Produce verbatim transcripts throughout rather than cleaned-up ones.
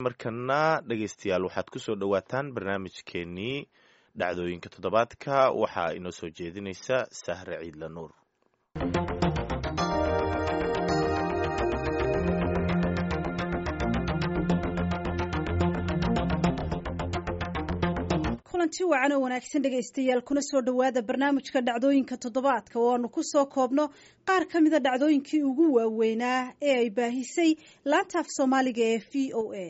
Markana dhegeystayaal, waxaad kusoo dhowaataan barnaamijkeenii dhacdooyinka toddobaadka. Waxaa inoo soo jeedinaysa Sahre Ciidla Nuur. Kulanti wacan oo wanaagsan dhegaystayaal, kuna soo dhowaada barnaamijka dhacdooyinka toddobaadka oo aanu ku soo koobno qaar ka mida dhacdooyinkii ugu waaweynaa ee ay baahisay laanta af Soomaaliga ee V O A.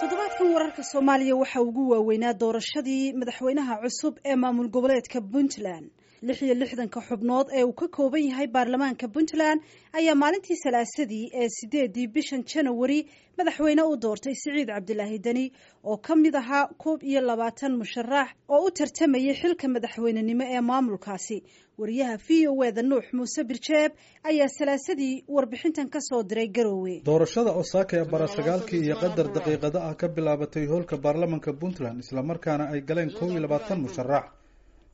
Toddobaadkan wararka Soomaaliya waxaa ugu waaweynaa doorashadii madaxweynaha cusub ee maamul goboleedka Puntland. Lix iyo lixdanka xubnood ee uu ka kooban yahay baarlamaanka Puntland ayaa maalintii Salaasadii ee sideedii bishan Janawari madaxweyne u doortay Siciid Cabdilaahi Deni, oo ka mid ahaa koob iyo labaatan musharax oo u tartamayay xilka madaxweynenimo ee maamulkaasi. Wariyaha V O E da Nuux Muuse Birjeeb ayaa Salaasadii warbixintan ka soo diray Garoowe. Doorashada Osaaka ee bara sagaalkii iyo qadar daqiiqada ah ka bilaabatay hoolka baarlamanka Puntland, islamarkaana ay galeen kow iyo labaatan musharax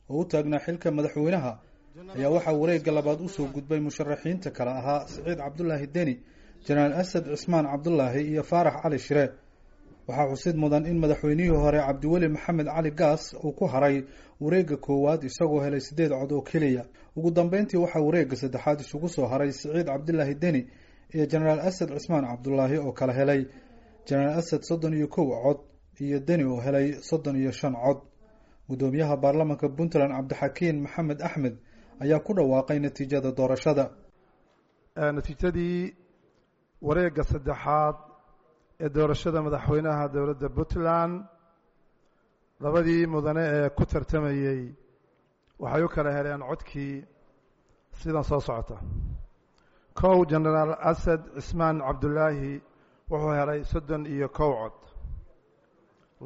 oo u taagnaa xilka madaxweynaha, ayaa waxaa wareegga labaad usoo gudbay musharaxiinta kale ahaa Siciid Cabdulaahi Deni, Jenaraal Asad Cismaan Cabdulaahi iyo Faarax Cali Shire. Waxaa xusid mudan in madaxweynihii hore Cabdiweli Maxamed Cali Gaas uu ku haray wareegga koowaad, isagoo helay siddeed cod oo keliya. Ugu dambeyntii waxaa wareegga saddexaad isugu soo haray Siciid Cabdilaahi Deni iyo Jenaraal Asad Cismaan Cabdulaahi, oo kala helay Jenaraal Asad soddon iyo kow cod iyo Deni oo helay soddon iyo shan cod. Guddoomiyaha baarlamanka Puntland Cabdixakiin Maxamed Axmed ayaa ku dhawaaqay natiijada doorashada. Natiijadii wareegga saddexaad ee doorashada madaxweynaha dowladda Puntland, labadii mudane ee ku tartamayey waxay u kala heleen codkii sidan soo socota: kow, Jenaraal Asad Cismaan Cabdulaahi wuxuu helay soddon iyo kow cod;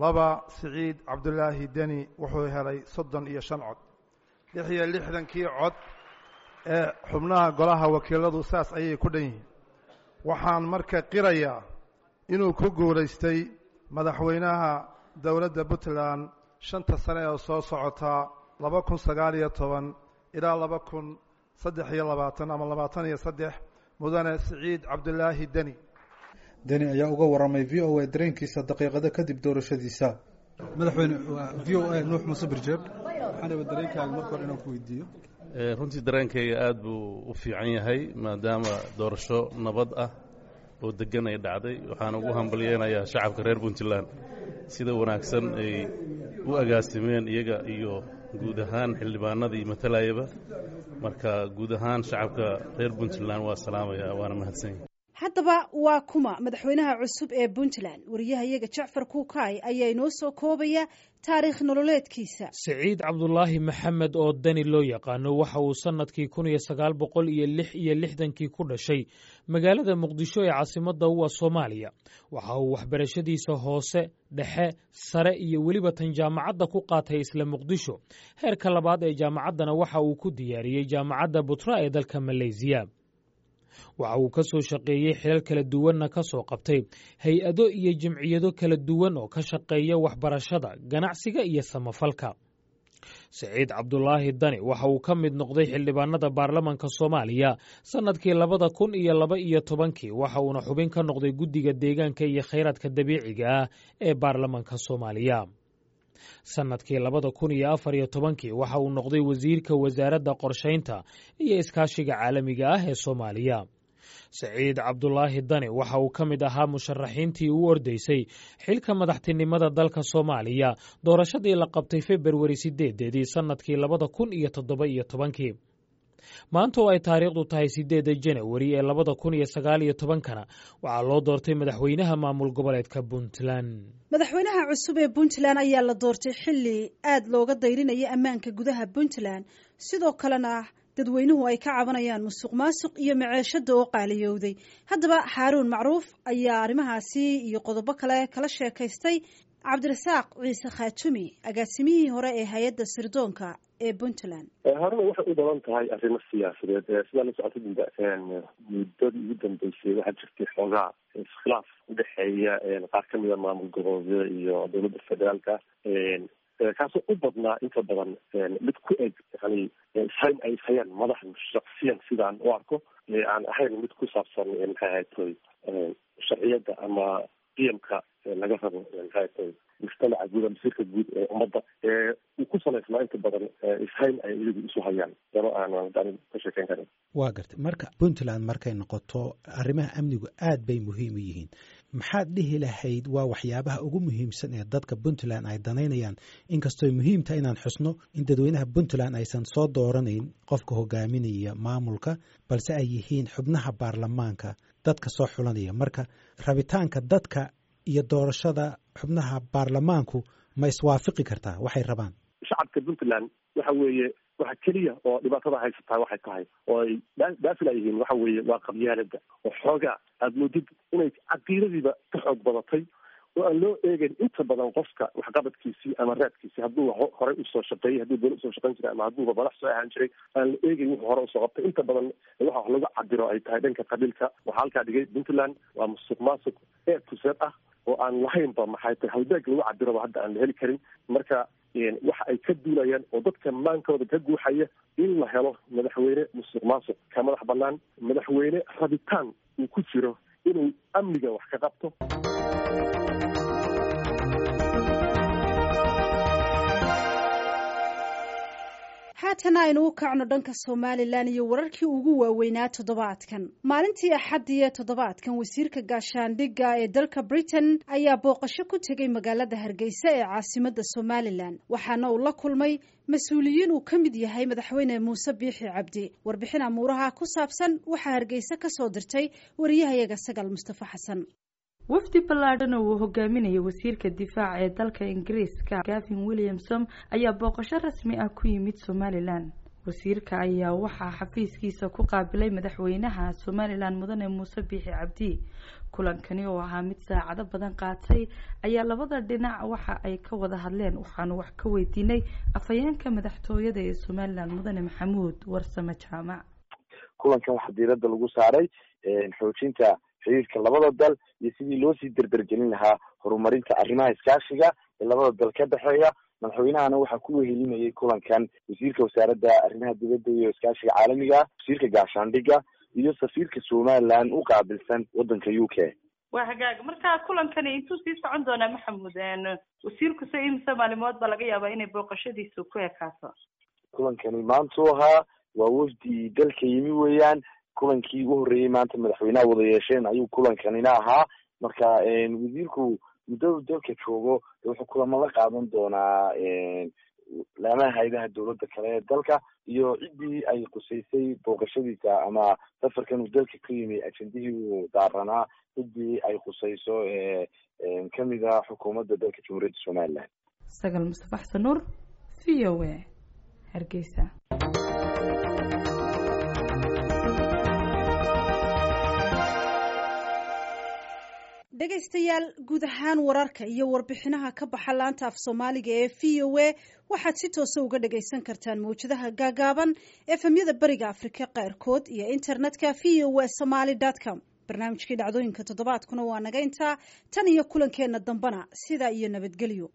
laba, Siciid Cabdulaahi Deni wuxuu helay soddon iyo shan cod. Lix iyo lixdankii cod ee xubnaha golaha wakiiladu saas ayay ku dhan yihiin. Waxaan marka qirayaa inuu ku guulaystay madaxweynaha dowladda Puntland shanta sane ee soo socotaa, laba kun sagaal iyo toban ilaa laba kun saddex iyo labaatan ama labaatan iyo saddex, mudane Siciid Cabdulaahi Deni. Deni ayaa uga waramay V O A dareenkiisa daqiiqado kadib doorashadiisa. Madaxweyne, V O A Nuux Muuse Birjeeb, waxaan raba dareenkaaga marka hore inaan ku weydiiyo. Runtii dareenkayga aad buu u fiican yahay, maadaama doorasho nabad ah oo deggan ay dhacday. Waxaan ugu hambalyeynayaa shacabka reer Puntland sida wanaagsan ay u agaasimeen, iyaga iyo guud ahaan xildhibaanadii matalayaba. Marka guud ahaan shacabka reer Puntland waa salaamaya, waana mahadsan yahay. Haddaba waa kuma madaxweynaha cusub ee Puntland? Wariyaha iyaga Jacfar Kuukaay ayaa inoo soo koobaya taariikh nololeedkiisa. Siciid Cabdulaahi Maxamed oo Deni loo yaqaano waxa uu sannadkii kun iyo sagaal boqol iyo lix iyo lixdankii ku dhashay magaalada Muqdisho ee caasimadda u ah Soomaaliya. Waxa uu waxbarashadiisa hoose, dhexe, sare iyo weliba tan jaamacadda ku qaatay isla Muqdisho. Heerka labaad ee jaamacaddana waxa uu ku diyaariyey Jaamacadda Butra ee dalka Maleysiya. Waxa uu ka soo shaqeeyey, xilal kala duwanna ka soo qabtay hay-ado iyo jimciyado kala duwan oo ka shaqeeya waxbarashada, ganacsiga iyo samafalka. Siciid Cabdulaahi Dani waxa uu ka mid noqday xildhibaanada baarlamanka Soomaaliya sannadkii labada kun iyo laba iyo tobankii, waxa uuna xubin ka noqday guddiga deegaanka iyo khayraadka dabiiciga ah ee baarlamanka Soomaaliya. Sannadkii labada kun iyo afar iyo tobankii waxa uu noqday wasiirka wasaaradda qorshaynta iyo iskaashiga caalamiga ah ee Soomaaliya. Siciid Cabdulaahi Dani waxa uu ka mid ahaa musharaxiintii u ordaysay xilka madaxtinimada dalka Soomaaliya doorashadii la qabtay Februari sideedeedii sannadkii labada kun iyo toddoba iyo tobankii. Maanta oo ay taariikhdu tahay sideedda Janawari ee labada kun iyo sagaal iyo tobankana waxaa loo doortay madaxweynaha maamul goboleedka Puntland. Madaxweynaha cusub ee Puntland ayaa la doortay xilli aad looga dayrinaya ammaanka gudaha Puntland, sidoo kalena dadweynuhu ay ka cabanayaan musuq maasuq iyo maceeshada oo qaaliyowday. Haddaba Xaaruun Macruuf ayaa arrimahaasi iyo qodobo kale kala sheekaystay Cabdirasaaq Ciise Khaatumi, agaasimihii hore ee hay-adda sirdoonka ee Puntland. Horena waxay u badan tahay arrimo siyaasadeed. Sidaa la socotay, muddadii ugu dambeysay waxaa jirtay xoogaa iskhilaaf udhexeeya qaar kamida maamul goboleedyada iyo dowladda federaalka. Kaasoo u badnaa inta badan mid ku eg yani ishayn ay ishayaan madaxdu shaksiyan sidaan u arko, aan ahayn mid ku saabsan maxay ahayd toy sharciyadda ama qiyamka laga rabo maxay toy mujtamaca guud ama sirka guud ee ummadda, uu ku salaysnaa inta badan ishayn ay iyagu isu hayaan dano aan ka sheekeyn karin. Waa gartay. Marka Puntland markay noqoto, arrimaha amnigu aad bay muhiim u yihiin. Maxaad dhihi lahayd waa waxyaabaha ugu muhiimsan ee dadka Puntland ay danaynayaan, inkastooy muhiim tahay inaan xusno in dadweynaha Puntland aysan soo dooranayn qofka hogaaminaya maamulka, balse ay yihiin xubnaha baarlamaanka dadka soo xulanaya? Marka rabitaanka dadka iyo doorashada xubnaha baarlamaanku ma iswaafiqi kartaa waxay rabaan? Shacabka Puntland waxa weeye waxa keliya oo dhibaatada haysataa waxay tahay oo ay dhaafila yihiin waxa weeye waa qabyaalada oo xoogaa aada moodid inay caqiidadiiba ka xoog badatay, oo aan loo eegayn inta badan qofka waxqabadkiisii ama raadkiisii, hadduu horey usoo shaqeeyey, hadduu dowlad usoo shaqeyn jiray ama hadduuba madax soo ahaan jiray, aan la eegayn wuxuu hore usoo qabtay. Inta badan waxa wax lagu cabiro ay tahay dhanka qabiilka. Waxaa halkaa dhigay Puntland waa musuq maasuq ee tuseed ah oo aan lahaynba maxay tahay halbeeg lagu cabiroba hadda aan la heli karin. Marka waxa ay ka duulayaan oo dadka maankooda ka guuxaya in la helo madaxweyne musuq maasuq ka madax banaan, madaxweyne rabitaan uu ku jiro inuu amniga wax ka qabto. Haatana aynu u kacno dhanka Somalilan iyo wararkii ugu waaweynaa toddobaadkan. Maalintii Axaddiiee toddobaadkan, wasiirka gaashaandhigga ee dalka Britain ayaa booqasho ku tegey magaalada Hargeysa ee caasimadda Somalilan, waxaana uu la kulmay mas-uuliyiin uu ka mid yahay Madaxweyne Muuse Biixi Cabdi. Warbixin amuuraha ku saabsan waxaa Hargeysa ka soo dirtay wariyahayaga Sagal Mustafa Xasan. Wafdi ballaadhan oo uu hogaaminayay wasiirka difaaca ee dalka Ingiriiska Gavin Williamson ayaa booqasho rasmi ah ku yimid Somalilan. Wasiirka ayaa waxaa xafiiskiisa ku qaabilay madaxweynaha Somalilan, Mudane Muuse Biixi Cabdi. Kulankani oo ahaa mid saacado badan qaatay ayaa labada dhinac waxa ay ka wada hadleen waxaanu wax ka weydiinay afhayeenka madaxtooyada ee Somalilan, Mudane Maxamuud Warsame Jaamac. Kulankan waxaa diiradda lagu saaray xoojinta xiriirka labada dal iyo sidii loo sii derdergelin lahaa horumarinta arrimaha iskaashiga ee labada dal ka dhexeeya. Madaxweynahana waxaa ku wehelinayay kulankan wasiirka wasaaradda arrimaha dibadda iyo iskaashiga caalamiga, wasiirka gaashaandhigga iyo safiirka Somaliland u qaabilsan waddanka U K. Waa hagaag. Marka kulankani intuu sii socon doonaa, Maxamuud? Wasiirku se imise maalimood baa laga yaabaa inay booqashadiisu ku ekaato? Kulankani maantuu ahaa, waa wafdi dalka yimi weeyaan. Kulankii ugu horreeyey maanta madaxweynaha wada yeesheen ayuu kulankanina ahaa. Marka wasiirku muddadu dalka joogo wuxuu kulamo la qaadan doonaa laamaha hay-adaha dowladda kale ee dalka iyo ciddii ay qusaysay booqashadiisa ama safarkan uu dalka ka yimi ajendihii uu daaranaa, ciddii ay qusayso kamid ah xukuumadda dalka Jamhuuriyadda Somaliland. Sagal Mustafa Xasan Nuur, V O A, Hargeysa. Dhegaystayaal, guud ahaan wararka iyo warbixinaha ka baxa laanta af Soomaaliga ee V O A waxaad si toosa uga dhagaysan kartaan mawjadaha gaagaaban, efemyada Bariga Afrika qaarkood iyo internetka V O A somaly com. Barnaamijkii dhacdooyinka toddobaadkuna waa naga intaa. Tan iyo kulankeenna dambana, sidaa iyo nabadgelyo.